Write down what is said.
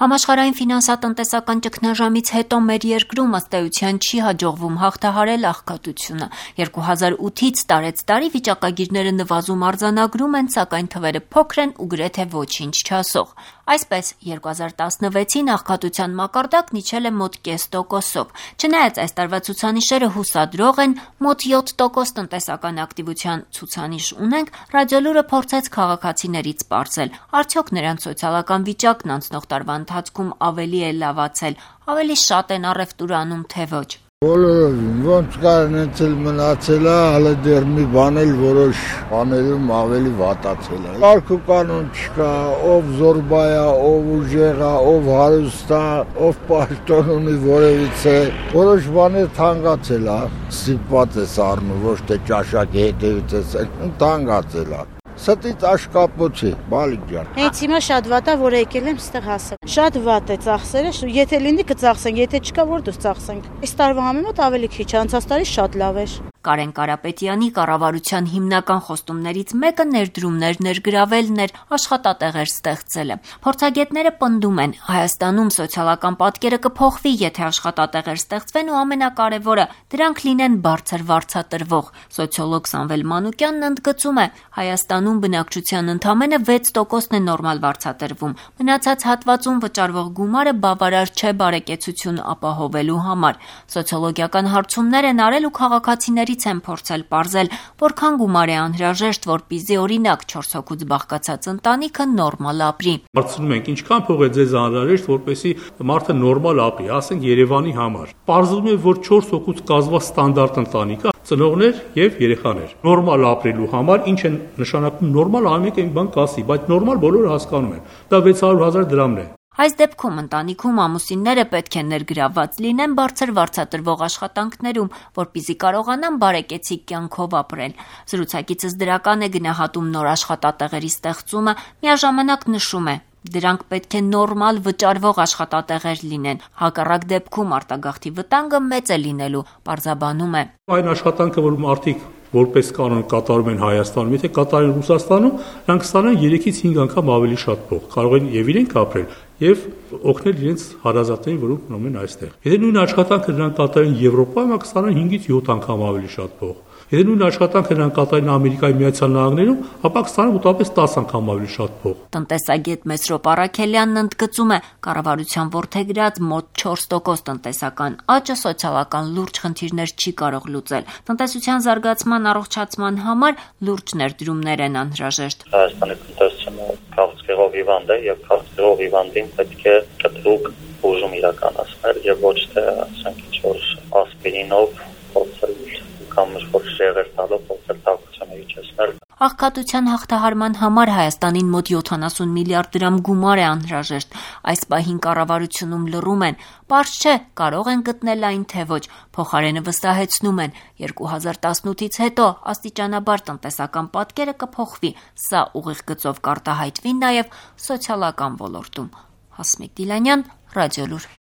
Համաշխարհային ֆինանսատնտեսական ճգնաժամից հետո մեր երկրում ըստ էության չի հաջողվում հաղթահարել աղքատությունը։ 2008-ից տարեց տարի վիճակագիրները նվազում արձանագրում են, սակայն թվերը փոքր են ու գրեթե ոչինչ չասող։ Այսպես 2016-ին աղքատության մակարդակն իջել է մոտ 0.5%-ով։ Չնայած այս տարվա ցուցանիշերը հուսադրող են, մոտ 7% տնտեսական ակտիվության ցուցանիշ ունենք, Ռադիոլուրը փորձեց քաղաքացիներից պարզել, արդյոք նրանց սոցիալական վիճակն անցնող տարվա ընթացքում ավելի է լավացել, ավելի շատ են առևտուր անում, թե ոչ։ Բոլորովին, ոնց կար նեցել մնացել է, հələ դեռ մի բան էլ որոշ բաներում ավելի վատացել է։ Կարգ ու կանոն չկա, ով զորբա է, ով ուժեղ է, ով հարուստ է, ով պաշտոն ունի որևիցե, որոշ բաներ թանկացել է, ստիպված ես առնում, ոչ թե ճաշակի հետևից ես, թանկացել է։ Ստից աշկապոց է, բալիկ ջան։ Հենց հիմա շատ վատ է, որ եկել եմ ստեղ հասել։ Շատ վատ է ծախսերը, եթե լինի կծախսենք, եթե չկա որ դուս ծախսենք։ Այս տարվա համեմատ ավելի քիչ, անցած տարի շատ լավ էր։ Կարեն Կարապետյանի կառավարության հիմնական խոստումներից մեկը ներդրումներ ներգրավելն էր, աշխատատեղեր ստեղծելը։ Փորձագետները պնդում են, Հայաստանում սոցիալական պատկերը կփոխվի, եթե աշխատատեղեր ստեղծվեն ու ամենակարևորը, դրանք լինեն բարձր վարձատրվող։ Սոցիոլոգ Սամվել Մանուկյանն ընդգծում է, Հայաստանում բնակչության ընդամենը 6%-ն է նորմալ վարձատրվում։ Մնացած հատվածում վճարվող գումարը բավարար չէ բարեկեցություն ապահովելու համար։ Սոցիոլոգիական հարցումներ են արել ու քաղաքացիների են փորձել պարզել, որքան գումար է անհրաժեշտ, որպեսզի օրինակ 4 հոգուց բաղկացած ընտանիքը նորմալ ապրի։ Հարցնում ենք, ինչքան փող է ձեզ անհրաժեշտ, որպեսզի մարդը նորմալ ապրի, ասենք Երևանի համար։ Պարզվում է, որ 4 հոգուց կազմված ստանդարտ ընտանիքը ծնողներ եւ երեխաներ։ Նորմալ ապրելու համար ինչ է նշանակում նորմալ, ամեն մի բան կասի, բայց նորմալ բոլորը հասկանում են։ Դա 600,000 դրամն է։ Այս դեպքում ընտանիքում ամուսինները պետք է ներգրավված լինեն բարձր վարձատրվող աշխատանքներում, որպեսզի կարողանան բարեկեցիկ կյանքով ապրել։ Զրուցակիցս դրական է գնահատում նոր աշխատատեղերի ստեղծումը, միաժամանակ նշում է, դրանք պետք է նորմալ վճարվող աշխատատեղեր լինեն։ Հակառակ դեպքում արտագաղթի վտանգը մեծ է լինելու, պարզաբանում է։ Այն աշխատանքը, որ մարդիկ որպես կանոն կատարում են Հայաստանում, եթե կատարեն Ռուսաստանում, նրանք ստանան 3-ից 5 անգամ ավելի շատ փող, կարող են եւ իրենք ապրել եւ օգնել իրենց հարազատներին, որոնք մնում են այստեղ։ Եթե նույն աշխատանքը նրանք կատարեն Եվրոպայում, կստանան 5-ից 7 անգամ ավելի շատ փող։ Եթե նույն աշխատանքը նրանք կատարեն Ամերիկայի Միացյալ Նահանգներում, ապա կստանան մոտավորապես 10 անգամ ավելի շատ փող։ Տնտեսագետ Մեսրոպ Առաքելյանն ընդգծում է, կառավարության որդեգրած մոտ 4% տնտեսական աճը սոցիալական լուրջ խնդիրներ չի կարող լուծել։ Տնտեսության զարգացման առողջացման համար լուրջ ներդրումներ են անհրաժեշտ։ Հայաստանի տնտեսությունը քաղցկեղով հիվանդ է եւ քաղցկեղով հիվանդին պետք է կտրուկ բուժում իրականացնել եւ ոչ թե ասենք ինչ-որ ասպիրինով փորձել կամ ինչ-որ շեղեր տալով փորձել տաքությունը իջեցնել։ Աղքատության հաղթահարման համար Հայաստանին մոտ 70 միլիարդ դրամ գումար է անհրաժեշտ։ Այս պահին կառավարությունում լռում են։ Պարզ չէ, կարող են գտնել այն, թե ոչ։ Փոխարենը վստահեցնում են, 2018-ից հետո աստիճանաբար տնտեսական պատկերը կփոխվի։ Սա ուղիղ գծով կարտահայտվի նաև սոցիալական ոլորտում։ Հասմիկ Դիլանյան, Ռադիոլուր։